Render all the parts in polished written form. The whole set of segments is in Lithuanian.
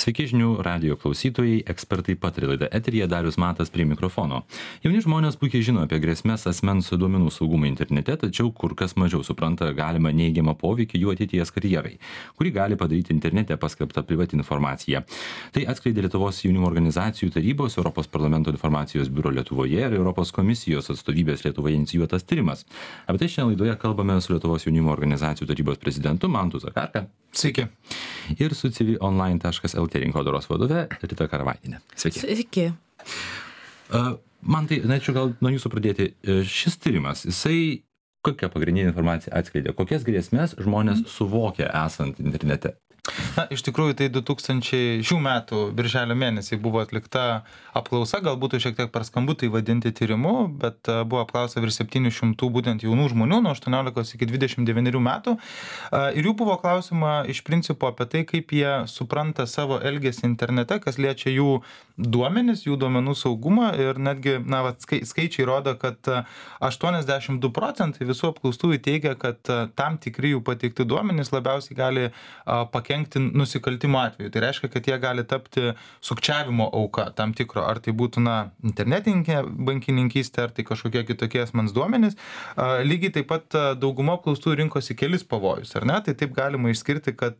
Sveiki žinių radijo klausytojai, ekspertai pataria laida eteryje, Darius Matas prie mikrofono. Jauni žmonės puikiai žino apie grėsmės asmens duomenų saugumą internete, tačiau kur kas mažiau supranta galimą neigiamą poveikį jų ateities karjerai, kurį gali padaryti internete paskelbta privati informacija. Tai atskleidė Lietuvos jaunimo organizacijų tarybos, Europos parlamento informacijos biuro Lietuvoje ir Europos komisijos atstovybės Lietuvoje inicijuotas tyrimas. Apie tai šiandien laidoje kalbame su Lietuvos jaunimo organizacijų tarybos prezidentu Mantu Zakarka. Sveiki. Ir su civilonline.lt rinkodaros vadove Rita Karavaitienė. Sveiki. Sveiki. Man tai, norėčiau gal nuo jūsų pradėti. Šis tyrimas, jisai kokią pagrindinę informaciją atskleidė? Kokias grėsmės žmonės suvokia esant internete? Na, iš tikrųjų, tai 2000 šių metų birželio mėnesį buvo atlikta apklausa, galbūt šiek tiek per skambu tai vadinti tyrimu, bet buvo apklausa virš 700 būtent jaunų žmonių nuo 18 iki 29 metų. Ir jų buvo klausima iš principo apie tai, kaip jie supranta savo elgesį internete, kas liečia jų duomenis, jų duomenų saugumą. Ir netgi, skaičiai rodo, kad 82% visų apklaustųjų teigia, kad tam tikri jų pateikti duomenys labiausiai gali pakenkti nusikaltimo atveju. Tai reiškia, kad jie gali tapti sukčiavimo auka tam tikro, ar tai būtų internetinė bankininkystė, ar tai kažkokie kitokie asmens duomenys. Lygiai taip pat dauguma apklaustųjų rinkosi kelis pavojus, ar ne? Tai taip galima išskirti, kad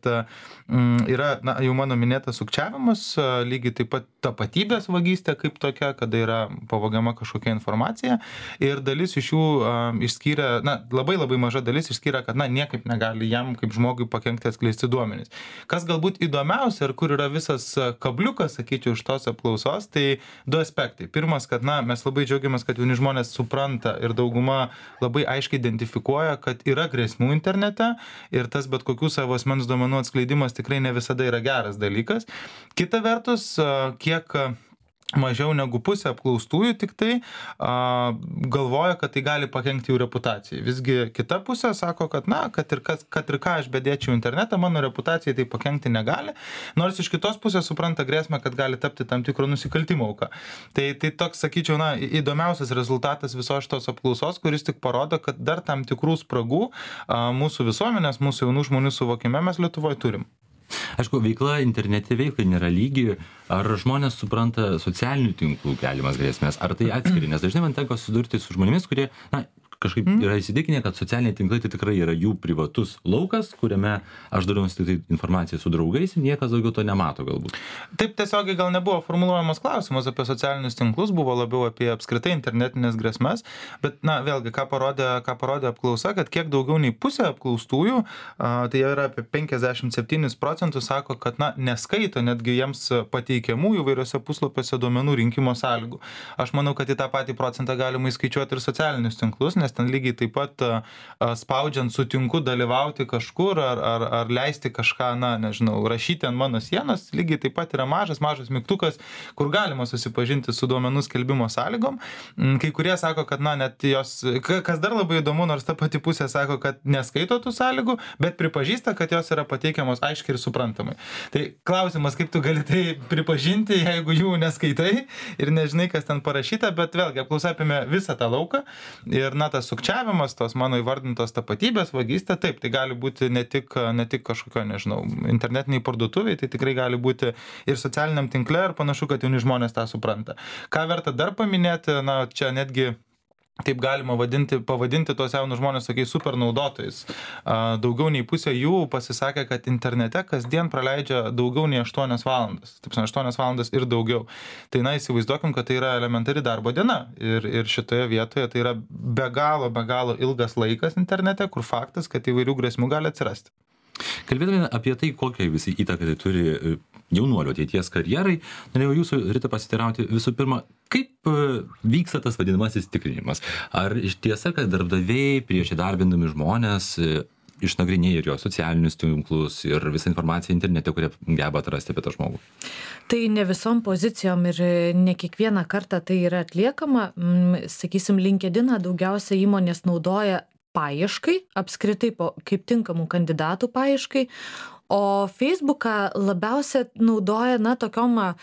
yra jau mano minėtas sukčiavimas, lygiai taip pat tapatybės vagystė kaip tokia, kada yra pavogiama kažkokia informacija. Ir dalis iš jų išskyrė, labai maža dalis išskyrė, kad niekaip negali jam kaip žmogui pakenkti atskleisti duomenys. Kas galbūt įdomiausia ir kur yra visas kabliukas, sakyčiau, iš tos apklausos, tai du aspektai. Pirmas, kad mes labai džiaugiamės, kad jauni žmonės supranta ir dauguma labai aiškiai identifikuoja, kad yra grėsmių internete ir tas bet kokių savo asmens duomenų atskleidimas tikrai ne visada yra geras dalykas. Kita vertus, kiek mažiau negu pusė apklaustųjų tik tai galvoja, kad tai gali pakenkti jų reputacijai. Visgi kita pusė sako, kad kad ir ką aš bedėčiau internetą, mano reputacijai tai pakenkti negali, nors iš kitos pusės supranta grėsmę, kad gali tapti tam tikro nusikaltimo auka. Tai toks, sakyčiau, įdomiausias rezultatas visos šitos apklausos, kuris tik parodo, kad dar tam tikrų spragų mūsų visuomenės, mūsų jaunų žmonių suvokime mes Lietuvoje turim. Aišku, veikla internete veiklai nėra lygi. Ar žmonės supranta socialinių tinklų keliamas grėsmės, ar tai atskiri? Nes dažnai man tenka susidurti su žmonėmis, kurie kažkaip yra įsitikinę, kad socialiniai tinklai tai tikrai yra jų privatus laukas, kuriame aš dalinuosi tik tai informaciją su draugais ir niekas daugiau to nemato galbūt. Taip tiesiogiai gal nebuvo formuluojamas klausimas apie socialinius tinklus, buvo labiau apie apskritai internetinės grėsmes, bet vėlgi, ką parodė apklausa, kad kiek daugiau nei pusė apklaustųjų, tai yra apie 57% sako, kad neskaito netgi jiems pateikiamų įvairiose puslapiuose duomenų rinkimo sąlygų. Aš manau, kad į tą patį procentą galima įskaičiuoti ir socialinius tinklus, nes ten lygiai taip pat spaudžiant sutinku dalyvauti kažkur ar leisti kažką, rašyti ant mano sienos, lygiai taip pat yra mažas mygtukas, kur galima susipažinti su duomenų skelbimo sąlygom. Kai kurie sako, kad net jos, kas dar labai įdomu, nors ta pati pusė sako, kad neskaito tų sąlygų, bet pripažįsta, kad jos yra pateikiamos aiškiai ir suprantamai. Tai klausimas, kaip tu gali tai pripažinti, jeigu jų neskaitai ir nežinai, kas ten parašyta, bet vėlgi apklausa apėmė visą tą lauką ir tas sukčiavimas, tos mano įvardintos tapatybės vagystė, taip, tai gali būti ne tik kažkokio, internetiniai parduotuviai, tai tikrai gali būti ir socialiniam tinkle ir panašu, kad jauni žmonės tą supranta. Ką verta dar paminėti, čia netgi taip galima pavadinti tos jaunus žmonės tokiais super naudotojais. Daugiau nei pusė jų pasisakė, kad internete kasdien praleidžia daugiau nei 8 valandas. Taip, 8 valandas ir daugiau. Tai įsivaizduokim, kad tai yra elementari darbo diena. Ir šitoje vietoje tai yra be galo ilgas laikas internete, kur faktas, kad įvairių grėsmių gali atsirasti. Kalbėdami apie tai, kokią visą įtaką tai turi jaunuolio ateities karjerai, norėjau jūsų, Rita, pasitirauti visų pirma, kaip vyksta tas vadinamasis tikrinimas? Ar iš tiesa, kad darbdaviai prieš įdarbindami žmonės išnagrinėja ir jo socialinius tinklus ir visą informaciją internete, kurią geba atrasti apie tą žmogų? Tai ne visom pozicijom ir ne kiekvieną kartą tai yra atliekama. Sakysim, LinkedIną daugiausia įmonės naudoja paieškai, apskritai kaip tinkamų kandidatų paieškai, O Facebooką labiausia naudoja, tokiom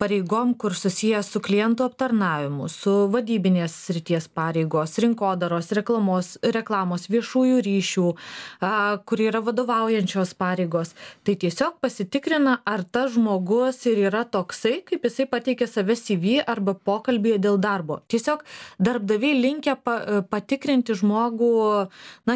pareigom, kur susijęs su klientų aptarnavimu, su vadybinės srities pareigos, rinkodaros, reklamos, viešųjų ryšių, kur yra vadovaujančios pareigos. Tai tiesiog pasitikrina, ar tas žmogus ir yra toksai, kaip jisai pateikė save CV arba pokalbėje dėl darbo. Tiesiog darbdaviai linkę patikrinti žmogų,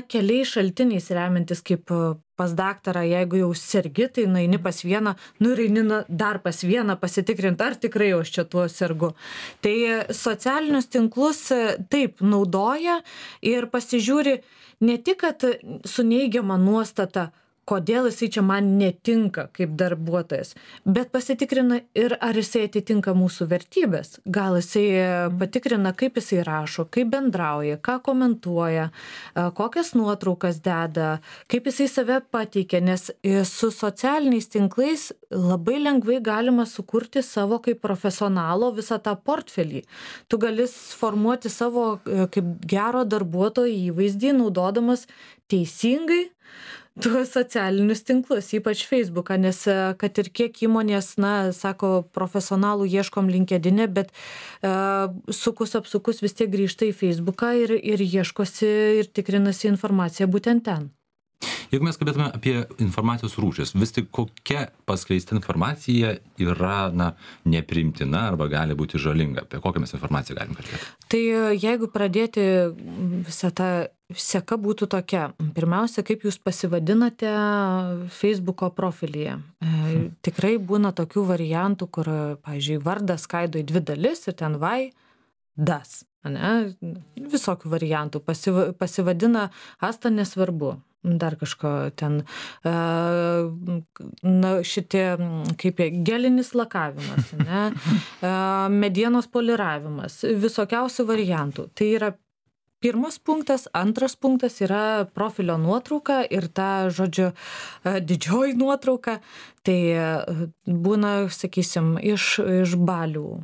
keliais šaltiniais remiantis, kaip pas daktarą, jeigu jau sergi, tai nueini pas vieną, ir eini dar pas vieną pasitikrinti, ar tikrai aš čia tuo sergu. Tai socialinius tinklus taip naudoja ir pasižiūri ne tik, kad su neigiama nuostata, kodėl jisai čia man netinka kaip darbuotojas, bet pasitikrina ir ar jisai atitinka mūsų vertybės. Gal jisai patikrina, kaip jisai rašo, kaip bendrauja, ką komentuoja, kokias nuotraukas deda, kaip jisai save pateikia, nes su socialiniais tinklais labai lengvai galima sukurti savo kaip profesionalo visą tą portfelį. Tu gali formuoti savo kaip gero darbuotojo įvaizdį, naudodamas teisingai tuos socialinius tinklus, ypač Facebooką, nes kad ir kiek įmonės, sako, profesionalų ieškom LinkedIn'e, bet sukus apsukus vis tiek grįžta į Facebooką ir ieškosi ir tikrinasi informaciją būtent ten. Jeigu mes kalbėtume apie informacijos rūšis, vis tik kokia paskleista informacija yra nepriimtina arba gali būti žalinga? Apie kokią mes informaciją galim kalbėti? Tai jeigu pradėti visą tą seka būtų tokia. Pirmiausia, kaip jūs pasivadinate Facebooko profilyje. Tikrai būna tokių variantų, kur, pavyzdžiui, vardas skaido į 2 dalis ir ten das. Visokių variantų. Pasivadina Asta nesvarbu. Dar kažko ten, šitie, kaip gelinis lakavimas, medienos poliravimas, visokiausių variantų. Tai yra pirmas punktas, antras punktas yra profilio nuotrauka ir ta, žodžiu, didžioji nuotrauka. Tai būna, sakysim, iš balių,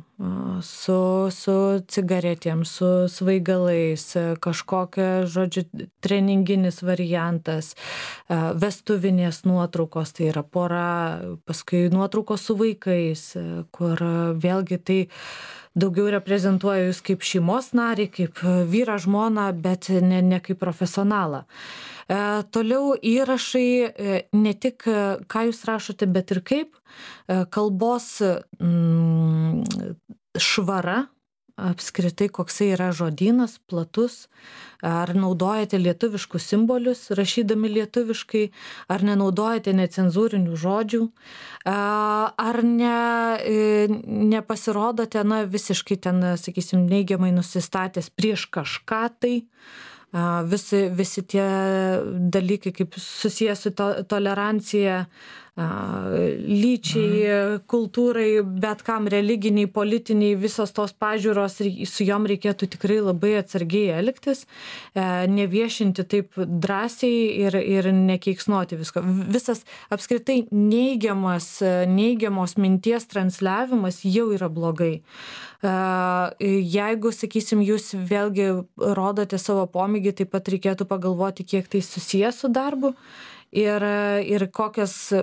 su cigaretėm, su svaigalais, kažkokia, žodžiu, treninginis variantas, vestuvinės nuotraukos, tai yra pora, paskui nuotraukos su vaikais, kur vėlgi tai daugiau reprezentuoja jūs kaip šeimos narį, kaip vyrą, žmoną, bet ne kaip profesionalą. Toliau įrašai, ne tik ką jūs rašote, bet ir kaip kalbos švara, apskritai koksai yra žodynas, platus, ar naudojate lietuviškus simbolius, rašydami lietuviškai, ar nenaudojate necenzūrinių žodžių, ar nepasirodote, visiškai ten, sakysim, neigiamai nusistatęs prieš kažką tai, visi tie dalykai, kaip susijęs su tolerancija, lyčiai, kultūrai, bet kam religiniai, politiniai, visos tos pažiūros, su jom reikėtų tikrai labai atsargiai elgtis, neviešinti taip drąsiai ir nekeiksnoti visko. Visas apskritai neigiamos minties transliavimas jau yra blogai. Jeigu, sakysim, jūs vėlgi rodote savo pomėgį, taip pat reikėtų pagalvoti, kiek tai susijęs su darbu. Ir kokias,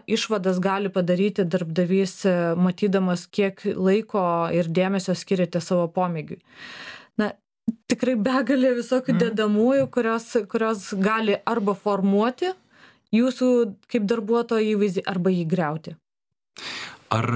išvadas gali padaryti darbdavys, matydamas, kiek laiko ir dėmesio skiriate savo pomėgiui. Tikrai begalė visokių dedamųjų, kurios gali arba formuoti jūsų kaip darbuotojo įvaizdį, arba jį griauti. Ar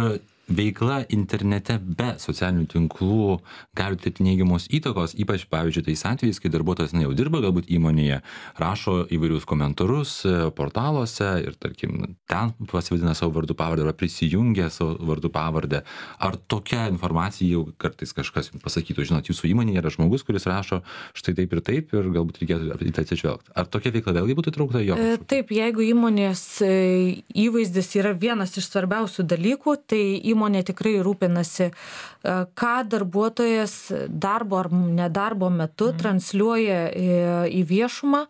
veikla internete be socialinių tinklų gali turėti neigiamos įtakos, ypač, pavyzdžiui, tais atvejais, kai darbuotojas jau dirba galbūt įmonėje, rašo įvairius komentarus portaluose ir, tarkim, ten pasivadina savo vardų pavardę arba prisijungia savo vardų pavardę. Ar tokia informacija jau kartais kažkas pasakytų, žinot, jūsų įmonėje yra žmogus, kuris rašo štai taip ir galbūt reikėtų į tai atsižvelgti. Ar tokia veikla vėlgi būtų įtraukta jo? Taip, jeigu įmonės įvaizdis yra vienas iš svarbiausių dalykų, tai įmonė tikrai rūpinasi, ką darbuotojas darbo ar nedarbo metu transliuoja į viešumą,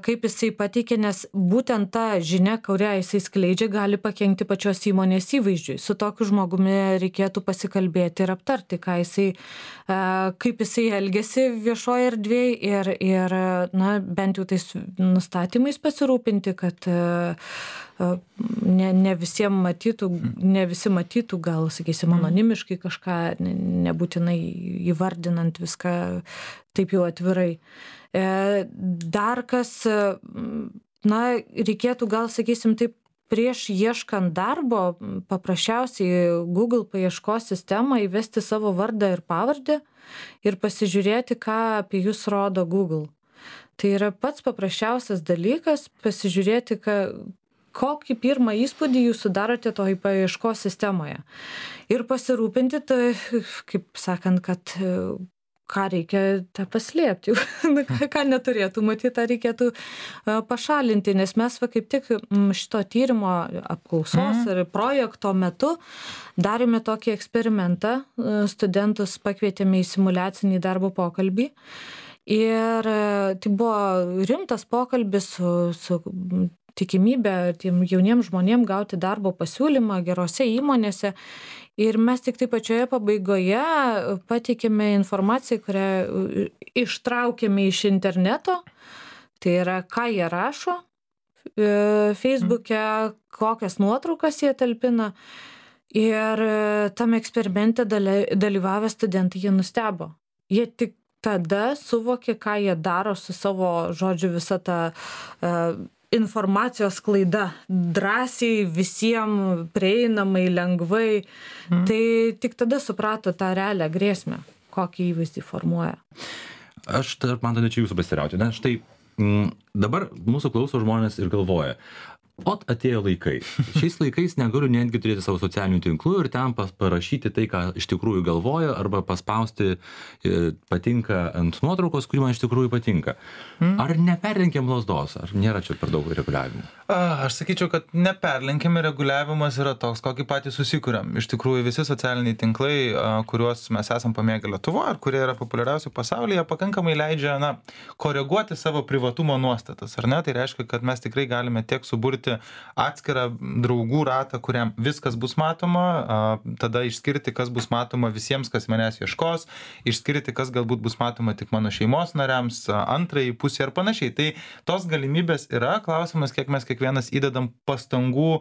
kaip jisai pateikia, nes būtent ta žinia, kurią jisai skleidžia, gali pakenkti pačios įmonės įvaizdžiui. Su tokiu žmogumi reikėtų pasikalbėti ir aptarti, kaip jisai elgiasi viešoje erdvėje ir bent jau tais nustatymais pasirūpinti, kad ne visi matytų, gal, sakysim, anonimiškai kažką, nebūtinai įvardinant viską taip jau atvirai. Dar kas, reikėtų gal, sakysim, taip, prieš ieškant darbo, paprasčiausiai Google paieškos sistemą įvesti savo vardą ir pavardę ir pasižiūrėti, ką apie jūs rodo Google. Tai yra pats paprasčiausias dalykas, pasižiūrėti, kokį pirmą įspūdį jūs sudarote toj paieškos sistemoje. Ir pasirūpinti, tai, kaip sakant, kad ką reikia tą paslėpti, ką neturėtų matyti, tą reikėtų pašalinti, nes mes kaip tik šito tyrimo apklausos ir projekto metu darėme tokį eksperimentą, studentus pakvietėme į simuliacinį darbo pokalbį ir tai buvo rimtas pokalbis su tikimybė tiem jauniem žmonėm gauti darbo pasiūlymą gerose įmonėse. Ir mes tik tai pačioje pabaigoje pateikėme informaciją, kurią ištraukėme iš interneto. Tai yra, ką jie rašo Facebook'e, kokias nuotraukas jie talpina. Ir tam eksperimente dalyvavę studentai jie nustebo. Jie tik tada suvokė, ką jie daro su savo, žodžiu, visą tą informacijos sklaida, drąsiai, visiems prieinamai, lengvai. Tai tik tada suprato tą realią grėsmę, kokį įvaizdį formuoja. Aš man tada čia jūsų pasirauti. Štai dabar mūsų klauso žmonės ir galvoja, atėjo laikai. Šiais laikais negaliu netgi turėti savo socialinių tinklų ir ten parašyti tai, ką iš tikrųjų galvoju, arba paspausti patinka ant nuotraukos, kuri man iš tikrųjų patinka. Ar neperlenkiam lazdos? Ar nėra čia per daug reguliavimų? Aš sakyčiau, kad neperlenkiami reguliavimas yra toks, kokį patys susikuriam. Iš tikrųjų, visi socialiniai tinklai, kuriuos mes esam pamėgę Lietuvoje, ar kurie yra populiariausi pasaulyje, pakankamai leidžia, koreguoti savo privatumo nuostatas, ar ne? Tai reiškia, kad mes tikrai galime tiek suburti atskirą draugų ratą, kuriam viskas bus matoma, tada išskirti, kas bus matoma visiems, kas manęs ieškos, išskirti, kas galbūt bus matoma tik mano šeimos nariams, antrai pusė ir panašiai. Tai tos galimybės yra, klausimas, kiek mes kiekvienas įdedam pastangų,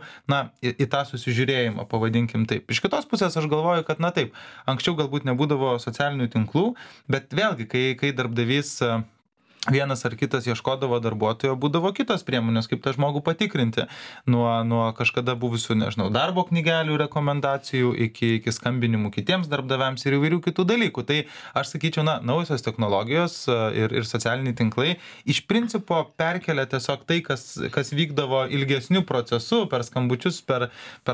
į tą susižiūrėjimą, pavadinkim taip. Iš kitos pusės aš galvoju, kad taip, anksčiau galbūt nebūdavo socialinių tinklų, bet vėlgi, kai darbdavys vienas ar kitas ieškodavo darbuotojo, būdavo kitos priemonės, kaip tą žmogų patikrinti. Nuo kažkada buvusių, darbo knygelių rekomendacijų iki skambinimų kitiems darbdaviams ir įvairių kitų dalykų. Tai aš sakyčiau, naujosios technologijos ir socialiniai tinklai iš principo perkelia tiesiog tai, kas vykdavo ilgesnių procesų, per skambučius, per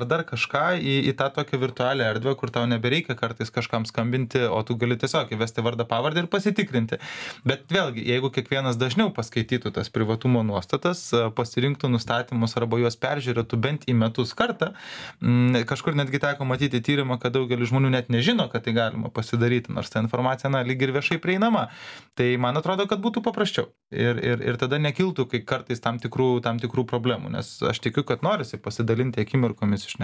dar kažką į tą tokią virtualią erdvę, kur tau nebereikia kartais kažkam skambinti, o tu gali tiesiog įvesti vardą, pavardę ir pasitikrinti. Bet vėlgi, jeigu kiekvienas dažniau paskaitytų tas privatumo nuostatas, pasirinktų nustatymus arba juos peržiūrėtų bent į metus kartą. Kažkur netgi teko matyti tyrimą, kad daugelis žmonių net nežino, kad tai galima pasidaryti, nors ta informacija, lyg ir viešai prieinama. Tai man atrodo, kad būtų paprasčiau. Ir tada nekiltų, kai kartais tam tikrų problemų, nes aš tikiu, kad norisi pasidalinti akimirkomis iš,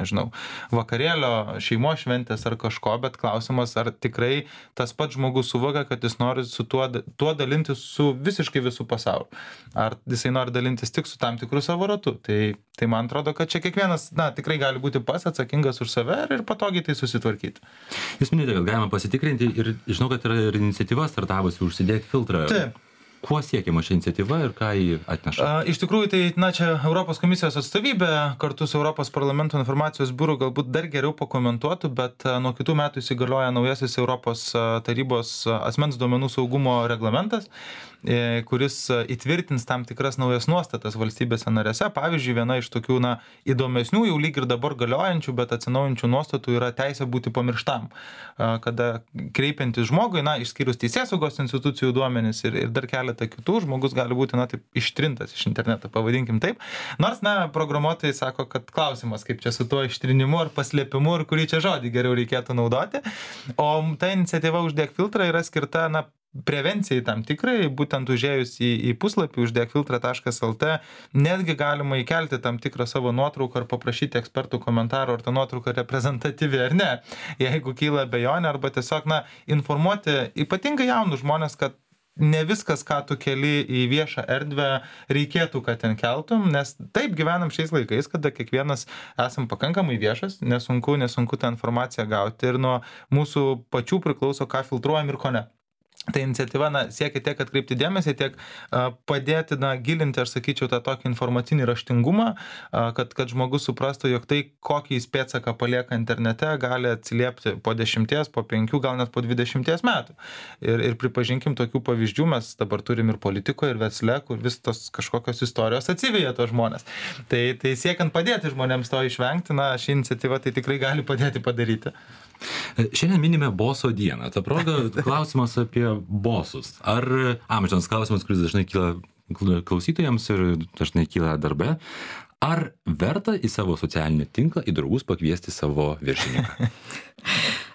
vakarėlio, šeimos šventės ar kažko, bet klausimas, ar tikrai tas pats žmogus suvokia, kad jis nori su tuo dalintis su visiškai visų pasauliu. Ar jisai nori dalintis tik su tam tikrų savo ratu. Tai man atrodo, kad čia kiekvienas, tikrai gali būti pats atsakingas už save ir patogiai tai susitvarkyti. Jūs minėjote, kad galima pasitikrinti ir žinau, kad yra ir iniciatyva startavusi Užsidėk filtrą. Taip. Kuo siekiama ši iniciatyva ir ką jį atneša? Iš tikrųjų, tai čia Europos komisijos atstovybė kartu su Europos parlamento informacijos biuru galbūt dar geriau pakomentuotų, bet nuo kitų metų įsigalioja naujasis Europos tarybos asmens duomenų saugumo reglamentas, kuris įtvirtins tam tikras naujas nuostatas valstybėse narėse. Pavyzdžiui, viena iš tokių įdomesnių, jau lyg ir dabar galiojančių, bet atsinaujančių nuostatų yra teisė būti pamirštam. Kada kreipiantis žmogui, išskyrus teisėsaugos institucijų duomenis ir dar keletą kitų, žmogus gali būti taip ištrintas iš interneto, pavadinkim taip. Nors, programuotojai sako, kad klausimas, kaip čia su tuo ištrinimu ar paslėpimu ir kurį čia žodį geriau reikėtų naudoti. O ta iniciatyva Uždėk filtrą yra skirta, prevencijai tam tikrai, būtent užėjus į puslapį uždekfiltrą.lt, netgi galima įkelti tam tikrą savo nuotrauką ar paprašyti ekspertų komentarų, ar ta nuotrauka reprezentatyvi ar ne. Jeigu kyla abejonė, arba tiesiog informuoti ypatingai jaunus žmonės, kad ne viskas, ką tu keli į viešą erdvę, reikėtų, kad ten keltum, nes taip gyvenam šiais laikais, kada kiekvienas esam pakankamai viešas, nesunku tą informaciją gauti ir nuo mūsų pačių priklauso, ką filtruojam ir ko ne. Tai iniciatyva siekia tiek atkreipti dėmesį, tiek padėti gilinti, aš sakyčiau, tą tokį informacinį raštingumą, kad žmogus suprastų, jog tai, kokį jis pėdsaką palieka internete, gali atsiliepti po 10, po 5, gal net po 20 metų. Ir pripažinkim tokių pavyzdžių, mes dabar turim ir politikoje, ir versle, kur vis tos kažkokios istorijos atsiveja tos žmonės. Tai siekiant padėti žmonėms to išvengti, ši iniciatyva tai tikrai gali padėti padaryti. Šiandien minime boso dieną. Ta proga klausimas apie bosus. Ar amžinas klausimas, kuris dažnai kyla klausytojams ir dažnai kyla darbe. Ar verta į savo socialinį tinklą, į draugus pakviesti savo viršininką?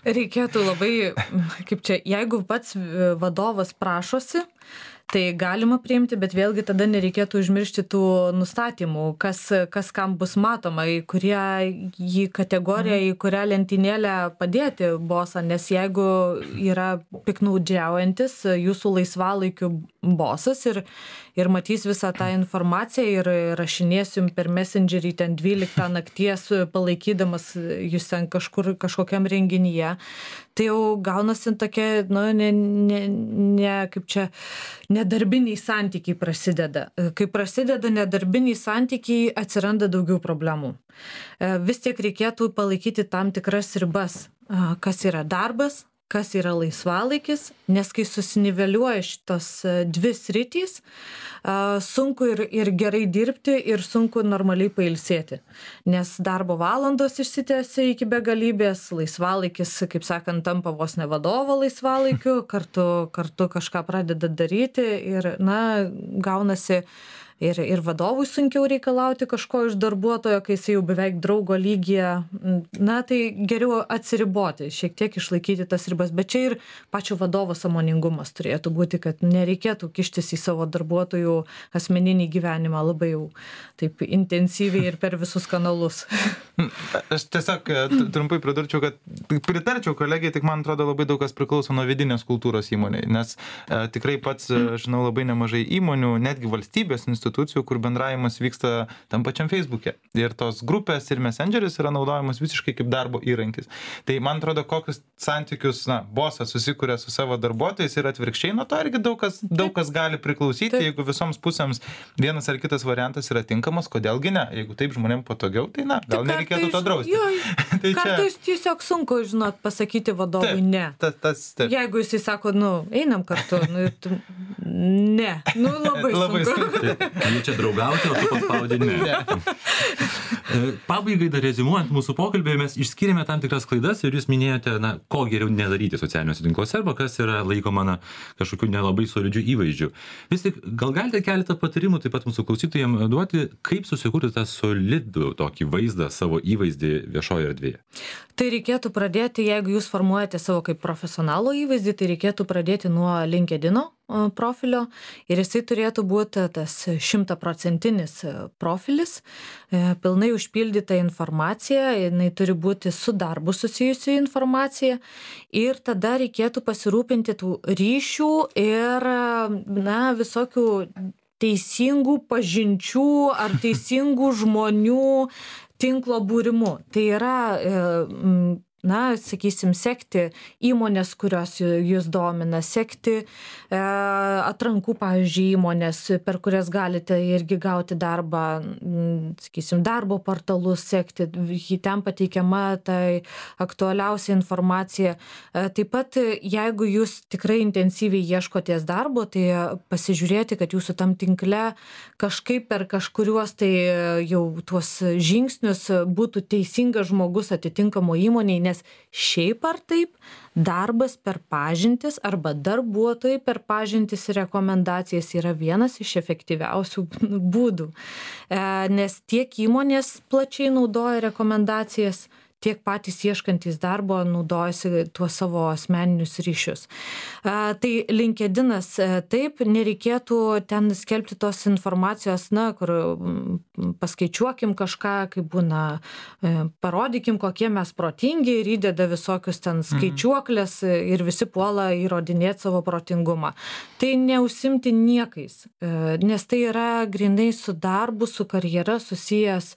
Reikėtų labai, jeigu pats vadovas prašosi, tai galima priimti, bet vėlgi tada nereikėtų užmiršti tų nustatymų, kas kam bus matoma, į kurią kategoriją, į kurią lentynėlę padėti bosą, nes jeigu yra piknaudžiaujantis jūsų laisvalaikių bosas ir matys visą tą informaciją ir rašinės jums per Messengerį ten 12 nakties palaikydamas jūs ten kažkokiam renginyje, tai jau gaunasi tokie, nedarbiniai santykiai prasideda. Kai prasideda nedarbiniai santykiai, atsiranda daugiau problemų. Vis tiek reikėtų palaikyti tam tikras ribas, kas yra darbas, kas yra laisvalaikis, nes kai susiniveliuoja šitos dvi sritys, sunku ir gerai dirbti ir sunku normaliai pailsėti, nes darbo valandos išsitęsia iki begalybės, laisvalaikis, kaip sakant, tampa vos ne vadovo laisvalaikiu, kartu kažką pradeda daryti ir, gaunasi ir vadovui sunkiau reikalauti kažko iš darbuotojo, kai jis jau beveik draugo lygyje. Tai geriau atsiriboti, šiek tiek išlaikyti tas ribas, bet čia ir pačio vadovo sąmoningumas turėtų būti, kad nereikėtų kištis į savo darbuotojų asmeninį gyvenimą labai jau taip intensyviai ir per visus kanalus. Aš tiesiog trumpai pridurčiau, kad pritarčiau kolegijai, tik man atrodo labai daug kas priklauso nuo vidinės kultūros įmonėje, nes tikrai pats žinau labai nemažai įmonių, netgi valstybės institucijų, kur bendravimas vyksta tam pačiam Facebook'e. Ir tos grupės ir Messengeris yra naudojamas visiškai kaip darbo įrankis. Tai man atrodo, kokius santykius bosas susikuria su savo darbuotojais ir atvirkščiai, nuo to irgi daug kas gali priklausyti. Jeigu visoms pusėms vienas ar kitas variantas yra tinkamas, kodėlgi ne? Jeigu taip žmonėm patogiau, tai gal nereikėtų to drausti. Tai kartais tiesiog sunku, pasakyti vadovui ne. Jeigu jisai sako, einam kartu, ne, labai sunku. Jie čia draugauti, o tu paspaudė ne. Pabaigai dar rezimuojant mūsų pokalbį, mes išskyrėme tam tikras klaidas ir jūs minėjote, ko geriau nedaryti socialiniuose tinkluose arba kas yra laikoma kažkokiu nelabai solidžiu įvaizdžiu. Vis tik, gal galite keletą patarimų taip pat mūsų klausytojams duoti, kaip susikurti tą solidų tokį vaizdą, savo įvaizdį viešoje erdvėje? Tai reikėtų pradėti, jeigu jūs formuojate savo kaip profesionalo įvaizdį, tai reikėtų pradėti nuo LinkedIno profilio ir jisai turėtų būti tas 100% profilis, pilnai užpildyta informacija, jinai turi būti su darbu susijusi informacija ir tada reikėtų pasirūpinti tų ryšių ir visokių teisingų pažinčių ar teisingų žmonių tinklo būrimu. Tai yra sakysim, sekti įmonės, kurios jūs domina, sekti atrankų, pavyzdžiui, įmonės, per kurias galite irgi gauti darbą, sakysim, darbo portalus sekti, ten pateikiama tai aktualiausia informacija. Taip pat, jeigu jūs tikrai intensyviai ieškoties darbo, tai pasižiūrėti, kad jūsų tam tinkle kažkaip per kažkuriuos tai jau tuos žingsnius būtų teisingas žmogus atitinkamo įmonėje, nes šiaip ar taip darbas per pažintis arba darbuotojai per pažintis ir rekomendacijas yra vienas iš efektyviausių būdų, nes tiek įmonės plačiai naudoja rekomendacijas, tiek patys ieškantys darbo naudojasi tuos savo asmeninius ryšius. Tai LinkedInas, taip, nereikėtų ten skelbti tos informacijos, kur paskaičiuokim kažką, kaip būna, parodykim, kokie mes protingi ir įdeda visokius ten skaičiuoklės ir visi puola įrodinėti savo protingumą. Tai neužsimti niekais, nes tai yra grynai su darbu, su karjera susijęs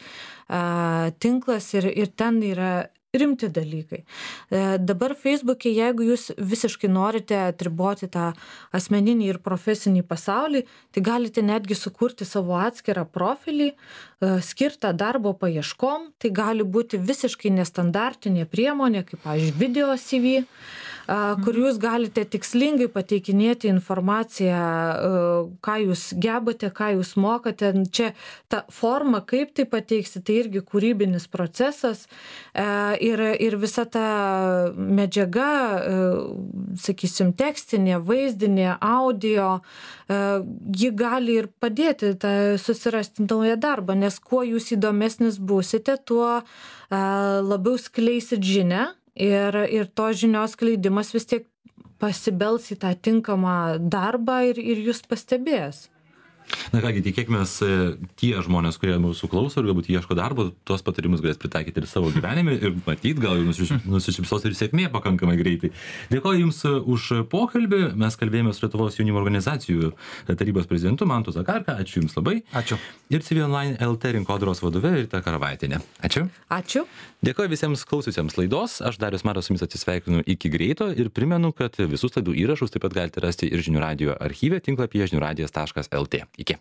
tinklas ir ten yra rimti dalykai. Dabar Facebook'e, jeigu jūs visiškai norite atriboti tą asmeninį ir profesinį pasaulį, tai galite netgi sukurti savo atskirą profilį, skirtą darbo paieškom. Tai gali būti visiškai nestandartinė priemonė, kaip, pavyzdžiui, video CV, kur jūs galite tikslingai pateikinėti informaciją, ką jūs gebate, ką jūs mokate. Čia ta forma, kaip tai pateiksi, tai irgi kūrybinis procesas ir visa ta medžiaga, sakysim, tekstinė, vaizdinė, audio, ji gali ir padėti susirasti naują darbą, nes kuo jūs įdomesnis būsite, tuo labiau skleisit žinią. Ir to žinios skleidimas vis tiek pasibels į tą tinkamą darbą ir jūs pastebės. Na kągi, tikėkimės, tie žmonės, kurie mūsų klauso ir galbūt ieško darbo, tuos patarimus galės pritaikyti ir savo gyvenime ir matyt, gal nusišypsos ir sėkmė pakankamai greitai. Dėkoju Jums už pokalbį. Mes kalbėjome su Lietuvos jaunimo organizacijų tarybos prezidentu Mantu Zakarka. Ačiū Jums labai. Ačiū. Ir CV Online LT rinkodaros vadove Rita Karavaitienė. Ačiū. Ačiū. Dėkoju visiems klausiusiems laidos. Aš Darius Maras su Jumis atsisveikinu iki greito ir primenu, kad visus laidų įrašus taip pat galite rasti ir žinių radijo archyve tinklapyje žiniųradijas.lt. Iki.